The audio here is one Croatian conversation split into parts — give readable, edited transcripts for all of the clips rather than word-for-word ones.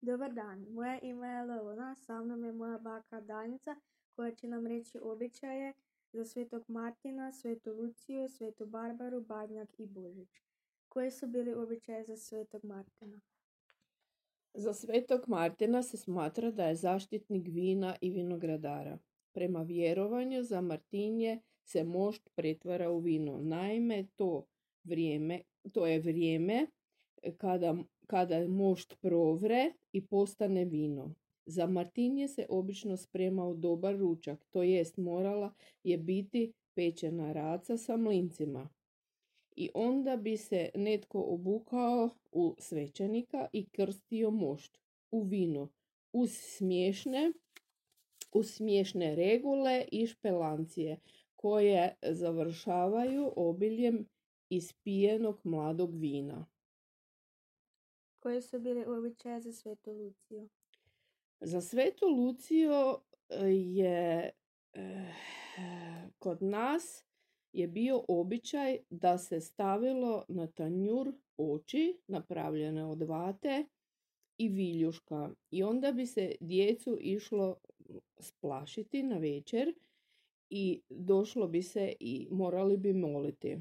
Dobar dan, moje ime je Leona, sa mnom je moja baka Danica koja će nam reći običaje za Svetog Martina, Svetu Luciju, Svetu Barbaru, Badnjak i Božić. Koji su bili običaje za Svetog Martina? Za Svetog Martina se smatra da je zaštitnik vina i vinogradara. Prema vjerovanju za Martinje se mošt pretvara u vino. Naime, to je vrijeme kada mošt provre i postane vino. Za Martinje se obično spremao dobar ručak, to jest morala je biti pečena raca sa mlincima. I onda bi se netko obukao u svećenika i krstio mošt u vino uz smiješne regule i špelancije koje završavaju obiljem ispijenog mladog vina. Koji su bili običaje za Svetu Luciju? Za Svetu Luciju je kod nas je bio običaj da se stavilo na tanjur oči napravljene od vate i viljuška i onda bi se djecu išlo splašiti na večer i došlo bi se i morali bi moliti.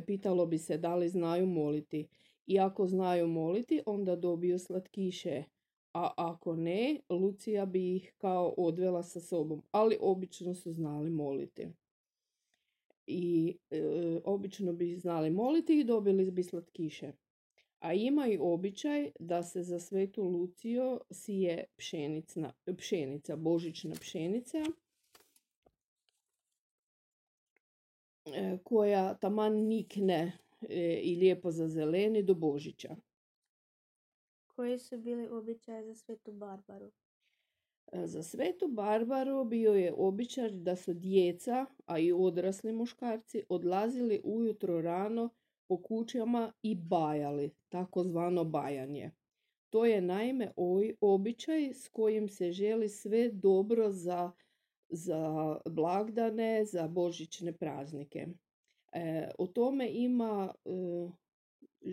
Pitalo bi se da li znaju moliti i ako znaju moliti onda dobiju slatkiše, a ako ne, Lucija bi ih kao odvela sa sobom, ali obično su znali moliti. I obično bi znali moliti i dobili bi slatkiše. A ima i običaj da se za Svetu Luciju sije pšenica, božićna pšenica, koja taman nikne i lijepo zazeleni do Božića. Koji su bili običaje za Svetu Barbaru? Za Svetu Barbaru bio je običaj da su djeca, a i odrasli muškarci, odlazili ujutro rano po kućama i bajali, takozvano bajanje. To je naime običaj s kojim se želi sve dobro za blagdane, za božićne praznike. O tome ima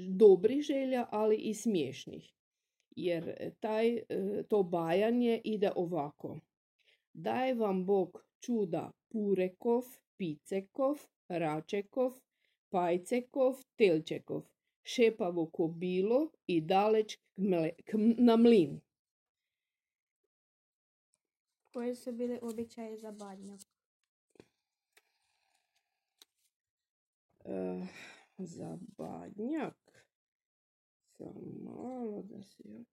dobrih želja, ali i smiješnih. Jer to bajanje ide ovako. Daj vam Bog čuda Purekov, Picekov, Račekov, Pajcekov, Telčekov, šepavo ko bilo i daleć na mlin. Koji su bili običaje za Badnjak? Za Badnjak sam malo da si...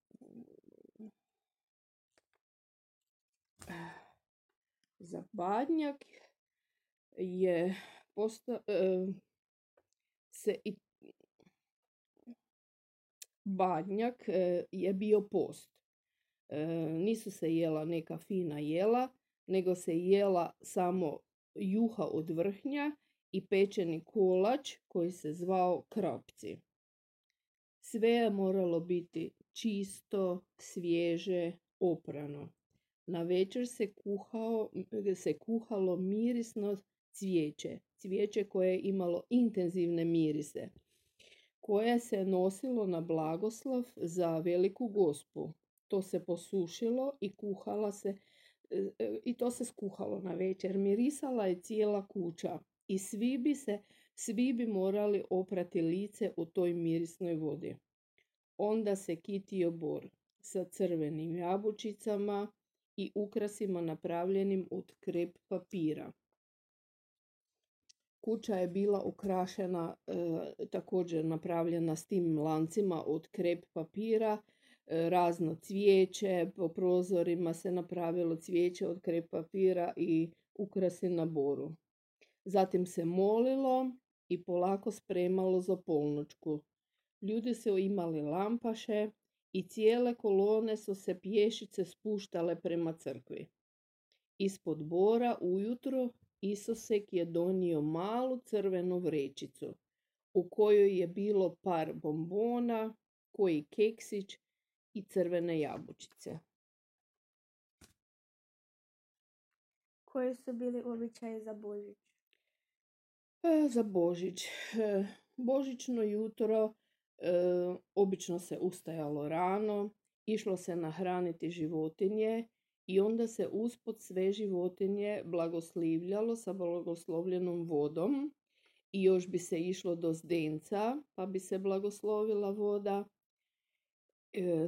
Za Badnjak je Badnjak je bio post. Nisu se jela neka fina jela, nego se jela samo juha od vrhnja i pečeni kolač koji se zvao krapci. Sve je moralo biti čisto, svježe, oprano. Na večer se kuhalo mirisno cvijeće koje je imalo intenzivne mirise, koje se nosilo na blagoslov za veliku gospu. To se posušilo i to se skuhalo na večer. Mirisala je cijela kuća i svi bi morali oprati lice u toj mirisnoj vodi. Onda se kitio bor sa crvenim jabučicama i ukrasima napravljenim od krep papira. Kuća je bila ukrašena, također napravljena s tim lancima od krep papira, razno cvijeće, po prozorima se napravilo cvijeće od krep papira i ukrasi na boru. Zatim se molilo i polako spremalo za polnoćku. Ljudi su imali lampaše i cijele kolone su se pješice spuštale prema crkvi. Ispod bora ujutro Isusek je donio malu crvenu vrećicu u kojoj je bilo par bombona, koji keksić i crvene jabučice. Koji su bili običaji za Božić? Za Božić. Božićno jutro obično se ustajalo rano išlo se nahraniti životinje i onda se uspod sve životinje blagoslivljalo sa blagoslovljenom vodom i još bi se išlo do zdenca pa bi se blagoslovila voda.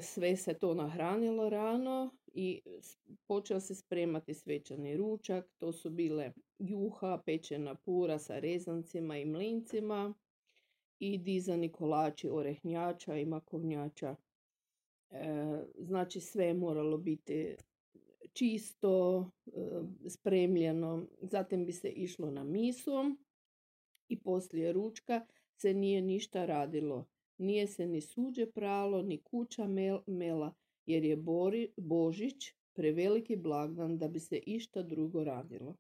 Sve se to nahranilo rano i počeo se spremati svečani ručak. To su bile juha, pečena pura sa rezancima i mlincima i dizani kolači orehnjača i makovnjača. Znači sve je moralo biti čisto, spremljeno. Zatim bi se išlo na misu i poslije ručka se nije ništa radilo. Nije se ni suđe pralo, ni kuća mela, jer je Božić preveliki blagdan da bi se išta drugo radilo.